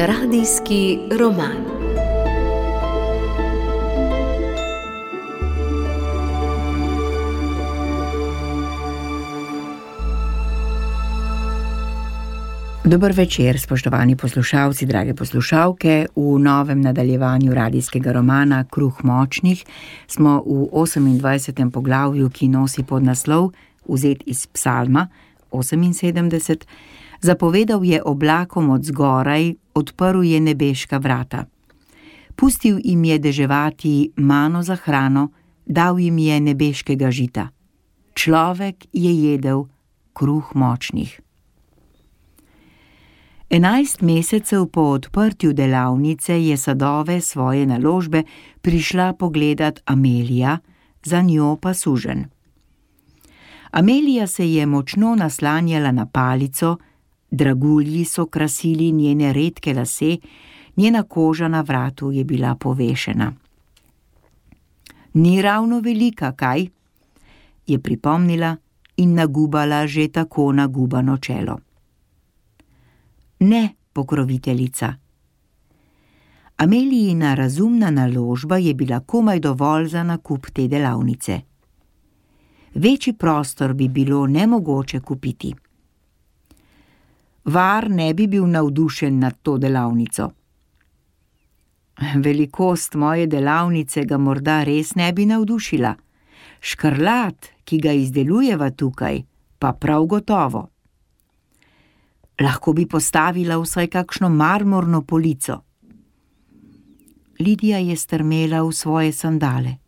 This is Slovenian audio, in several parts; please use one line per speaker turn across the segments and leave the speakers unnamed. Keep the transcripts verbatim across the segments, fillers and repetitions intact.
Radijski roman. Dober večer, spoštovani poslušalci, drage poslušalke. V novem nadaljevanju radijskega romana Kruh močnih smo v osemindvajsetem poglavju, ki nosi podnaslov, vzet iz Psalma oseminsedemdeset. Zapovedal je oblakom od zgoraj, odprl je nebeška vrata. Pustil jim je deževati mano za hrano, dal jim je nebeškega žita. Človek je jedel kruh močnih. Enajst mesecev po odprtju delavnice je sadove svoje naložbe prišla pogledat Amelija, za njo pa suženj. Amelija se je močno naslanjala na palico, dragulji so krasili njene redke lase, njena koža na vratu je bila povešena. Ni ravno velika, kaj? Je pripomnila in nagubala že tako nagubano čelo. Ne, pokroviteljica. Amelijina razumna naložba je bila komaj dovolj za nakup te delavnice. Večji prostor bi bilo nemogoče kupiti. Var ne bi bil navdušen nad to delavnico. Velikost moje delavnice ga morda res ne bi navdušila. Škrlat, ki ga izdelujeva tukaj, pa prav gotovo. Lahko bi postavila vsaj kakšno marmorno polico. Lidija je strmela v svoje sandale.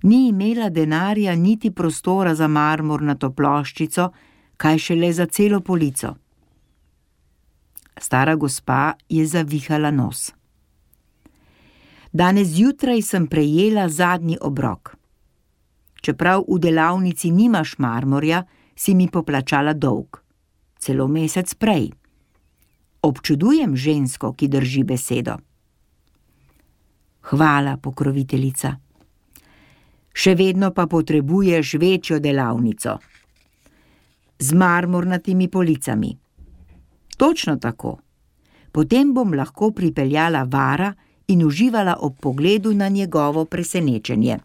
Ni imela denarja niti prostora za marmornato ploščico, kaj šele za celo polico. Stara gospa je zavihala nos. Danes zjutraj sem prejela zadnji obrok. Čeprav v delavnici nimaš marmorja, si mi poplačala dolg. Celo mesec prej. Občudujem žensko, ki drži besedo. Hvala, pokroviteljica. Še vedno pa potrebuješ večjo delavnico. Z marmornatimi policami. Točno tako. Potem bom lahko pripeljala vara in uživala ob pogledu na njegovo presenečenje.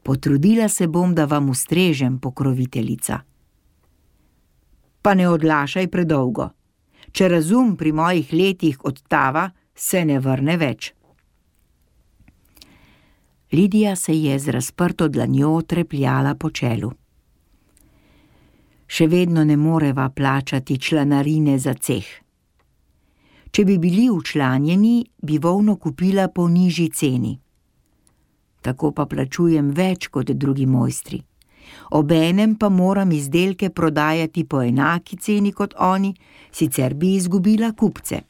Potrudila se bom, da vam ustrežem, pokroviteljica. Pa ne odlašaj predolgo. Če razum pri mojih letih odtava, se ne vrne več. Lidija se je z razprto dlanjo trepljala po čelu. Še vedno ne moreva plačati članarine za ceh. Če bi bili včlanjeni, bi volno kupila po nižji ceni. Tako pa plačujem več kot drugi mojstri. Obenem pa moram izdelke prodajati po enaki ceni kot oni, sicer bi izgubila kupce.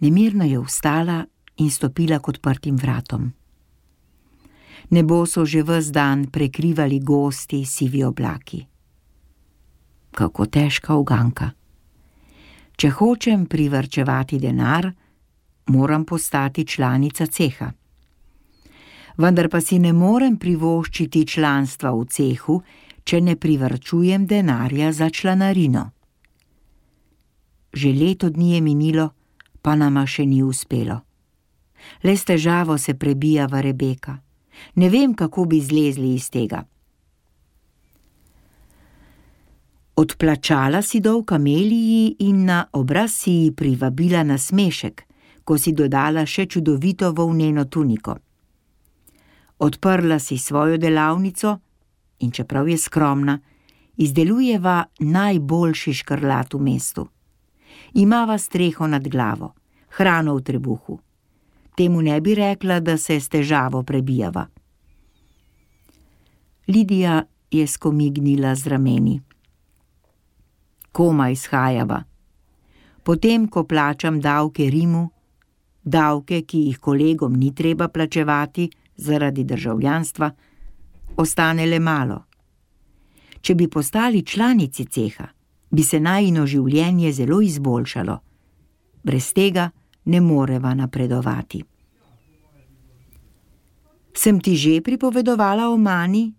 Nemirno je vstala in stopila k odprtim vratom. Nebo so že ves dan prekrivali gosti sivi oblaki. Kako težka uganka. Če hočem privarčevati denar, moram postati članica ceha. Vendar pa si ne morem privoščiti članstva v cehu, če ne privarčujem denarja za članarino. Že leto dni je minilo, pa nama še ni uspelo. Le s težavo se prebijava Rebeka. Ne vem, kako bi zlezli iz tega. Odplačala si dolg Ameliji in na obraz si ji privabila nasmešek, ko si dodala še čudovito volneno tuniko. Odprla si svojo delavnico in čeprav je skromna, izdelujeva najboljši škrlat v mestu. Imava streho nad glavo, hrano v trebuhu. Temu ne bi rekla, da se s težavo prebijava. Lidija je skomignila z rameni. Komaj shajava. Potem, ko plačam davke Rimu, davke, ki jih kolegom ni treba plačevati zaradi državljanstva, ostane le malo. Če bi postali članici ceha, bi se najino življenje zelo izboljšalo. Brez tega ne moreva napredovati. Sem ti že pripovedovala o mani?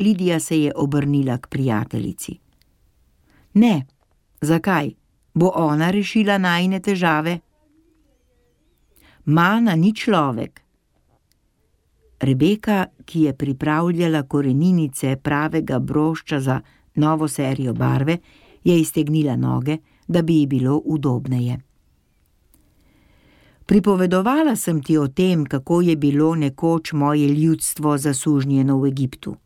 Lidija se je obrnila k prijateljici. Ne, zakaj? Bo ona rešila najine težave? Mana ni človek. Rebeka, ki je pripravljala koreninice pravega brošča za novo serijo barve, je iztegnila noge, da bi ji bilo udobneje. Pripovedovala sem ti o tem, kako je bilo nekoč moje ljudstvo zasužnjeno v Egiptu.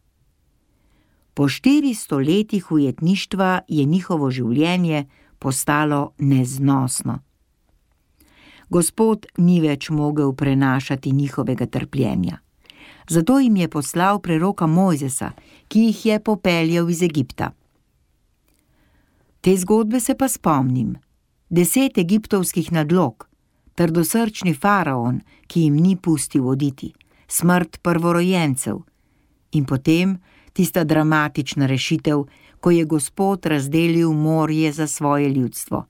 Po štiristo letih ujetništva je njihovo življenje postalo neznosno. Gospod ni več mogel prenašati njihovega trpljenja. Zato jim je poslal preroka Mojzesa, ki jih je popeljal iz Egipta. Te zgodbe se pa spomnim. Deset egiptovskih nadlog, trdosrčni faraon, ki jim ni pustil oditi, smrt prvorojencev in potem tista dramatična rešitev, ko je Gospod razdelil morje za svoje ljudstvo.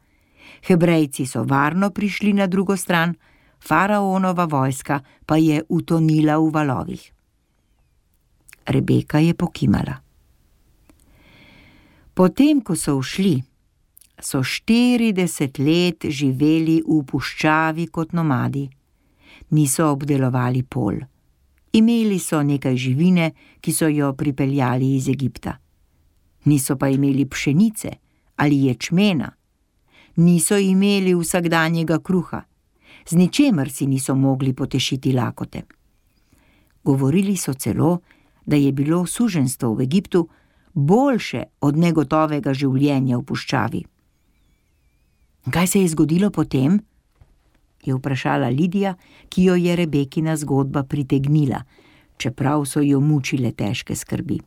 Hebrejci so varno prišli na drugo stran, faraonova vojska pa je utonila v valovih. Rebeka je pokimala. Potem, ko so ušli, so štirideset let živeli v puščavi kot nomadi. Niso obdelovali polj. Imeli so nekaj živine, ki so jo pripeljali iz Egipta. Niso pa imeli pšenice ali ječmena. Niso imeli vsakdanjega kruha. Z ničemer si niso mogli potešiti lakote. Govorili so celo, da je bilo suženjstvo v Egiptu boljše od negotovega življenja v puščavi. Kaj se je zgodilo potem? Je vprašala Lidija, ki jo je Rebekina zgodba pritegnila, čeprav so jo mučile težke skrbi.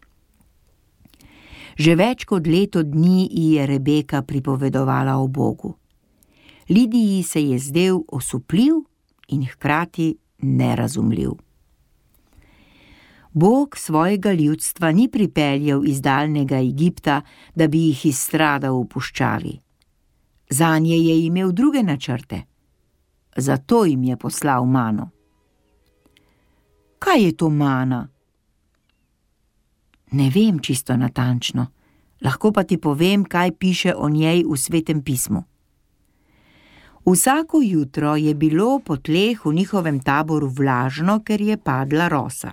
Že več kot leto dni ji je Rebeka pripovedovala o Bogu. Lidiji se je zdel osupljiv in hkrati nerazumljiv. Bog svojega ljudstva ni pripeljal iz daljnega Egipta, da bi jih izstradal v puščavi. Zanje je imel druge načrte. Zato jim je poslal mano. Kaj je to mana? Ne vem čisto natančno, lahko pa ti povem, kaj piše o njej v Svetem pismu. Vsako jutro je bilo po tleh v njihovem taboru vlažno, ker je padla rosa.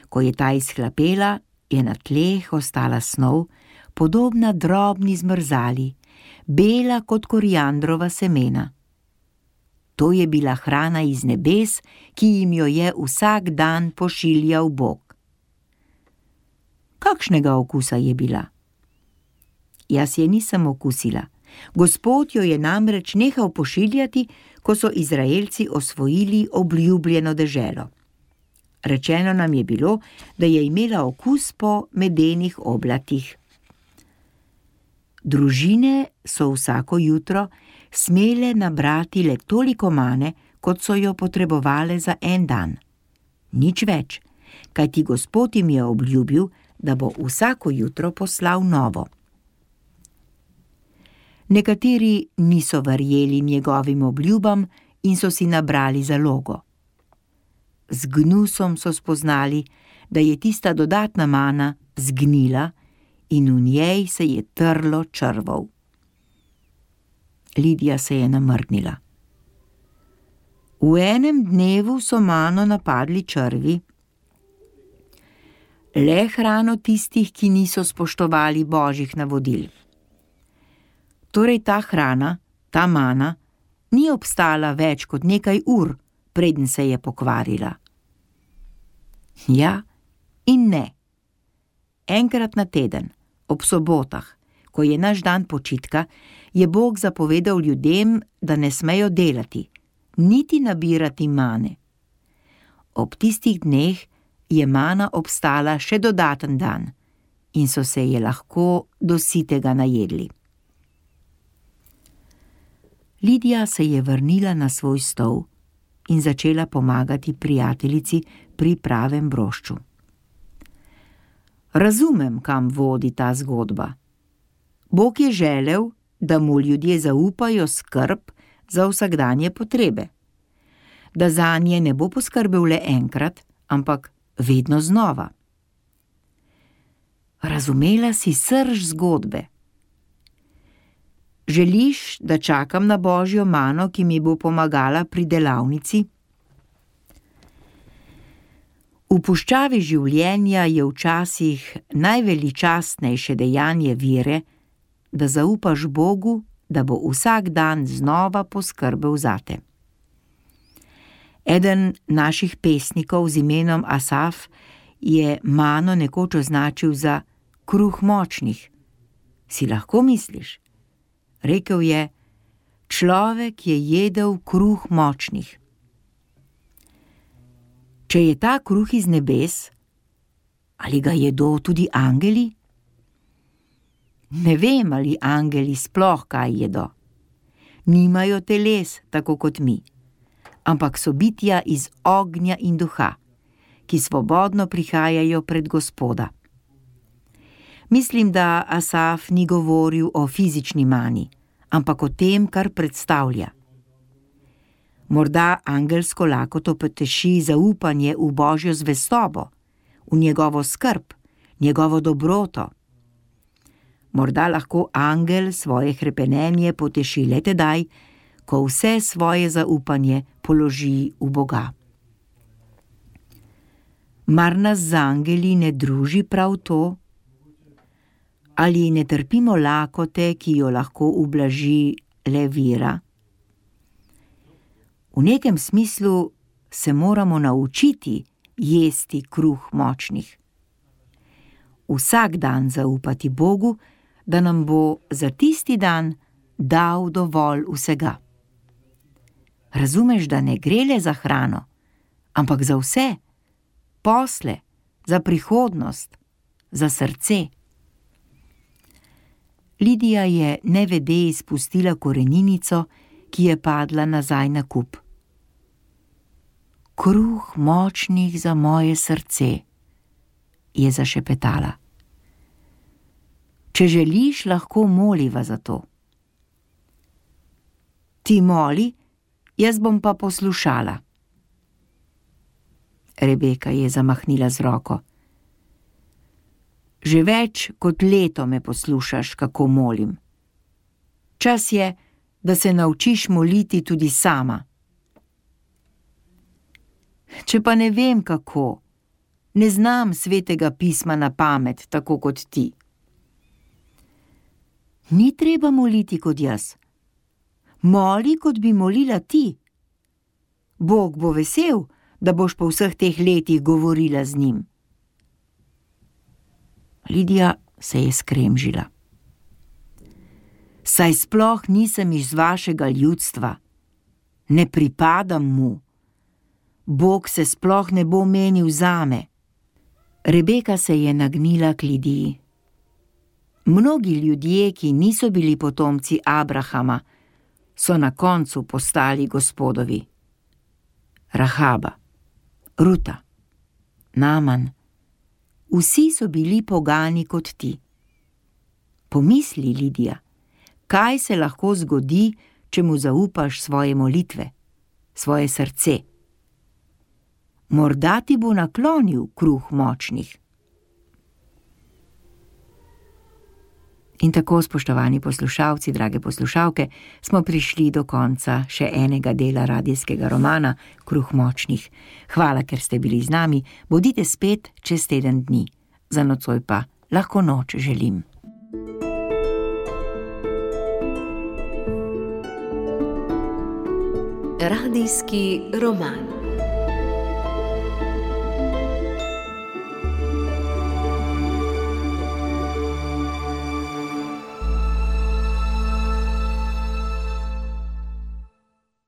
Ko je ta izhlapela, je na tleh ostala snov, podobna drobni zmrzali, bela kot koriandrova semena. To je bila hrana iz nebes, ki jim jo je vsak dan pošiljal Bog. Kakšnega okusa je bila? Jaz je nisem okusila. Gospod jo je namreč nehal pošiljati, ko so Izraelci osvojili obljubljeno deželo. Rečeno nam je bilo, da je imela okus po medenih oblatih. Družine so vsako jutro smele nabrati le toliko mane, kot so jo potrebovale za en dan. Nič več, kajti Gospod jim je obljubil, da bo vsako jutro poslal novo. Nekateri niso verjeli njegovim obljubam in so si nabrali zalogo. Z gnusom so spoznali, da je tista dodatna mana zgnila in v njej se je trlo črvov. Lidija se je namrnila. V enem dnevu so mano napadli črvi. Le hrano tistih, ki niso spoštovali božjih navodil. Torej ta hrana, ta mana, ni obstala več kot nekaj ur, preden se je pokvarila. Ja in ne. Enkrat na teden, ob sobotah, ko je naš dan počitka, je Bog zapovedal ljudem, da ne smejo delati, niti nabirati mane. Ob tistih dneh je mana obstala še dodaten dan in so se je lahko do sitega najedli. Lidija se je vrnila na svoj stol in začela pomagati prijateljici pri pravem brošču. Razumem, kam vodi ta zgodba. Bog je želel, da mu ljudje zaupajo skrb za vsakdanje potrebe. Da zanje ne bo poskrbel le enkrat, ampak vedno znova. Razumela si srž zgodbe. Želiš, da čakam na božjo mano, ki mi bo pomagala pri delavnici? V puščavi življenja je včasih najveličastnejše dejanje vere, da zaupaš Bogu, da bo vsak dan znova poskrbel zate. Eden naših pesnikov z imenom Asaf je mano nekoč označil za kruh močnih. Si lahko misliš? Rekel je, človek je jedel kruh močnih. Če je ta kruh iz nebes, ali ga jedo tudi angeli? Ne vem, ali angeli sploh kaj jedo. Nimajo teles, tako kot mi, ampak so bitja iz ognja in duha, ki svobodno prihajajo pred Gospoda. Mislim, da Asaf ni govoril o fizični mani, ampak o tem, kar predstavlja. Morda angelsko lakoto poteši zaupanje v božjo zvestobo, v njegovo skrb, njegovo dobroto. Morda lahko angel svoje hrepenenje poteši le tedaj, ko vse svoje zaupanje položi v Boga. Mar nas z angeli ne druži prav to? Ali ne trpimo lakote, ki jo lahko ublaži le vera? V nekem smislu se moramo naučiti jesti kruh močnih. Vsak dan zaupati Bogu, da nam bo za tisti dan dal dovolj vsega. Razumeš, da ne gre le za hrano, ampak za vse, posle, za prihodnost, za srce. Lidija je nevede izpustila koreninico, ki je padla nazaj na kup. Kruh močnih za moje srce, je zašepetala. Če želiš, lahko moliva za to. Ti moli, jaz bom pa poslušala. Rebeka je zamahnila z roko. Že več kot leto me poslušaš, kako molim. Čas je, da se naučiš moliti tudi sama. Če pa ne vem kako, ne znam svetega pisma na pamet, tako kot ti. Ni treba moliti kot jaz. Moli, kot bi molila ti. Bog bo vesel, da boš po vseh teh letih govorila z njim. Lidija se je skremžila. Saj sploh nisem iz vašega ljudstva. Ne pripadam mu. Bog se sploh ne bo menil zame. Rebeka se je nagnila k Lidiji. Mnogi ljudje, ki niso bili potomci Abrahama, so na koncu postali Gospodovi. Rahaba, Ruta, Naman, vsi so bili pogani kot ti. Pomisli, Lidija, kaj se lahko zgodi, če mu zaupaš svoje molitve, svoje srce. Morda ti bo naklonil kruh močnih. In tako, spoštovani poslušalci, drage poslušalke, smo prišli do konca še enega dela radijskega romana Kruh močnih. Hvala, ker ste bili z nami, bodite spet čez teden dni. Za nocoj pa lahko noč želim.
Radijski roman.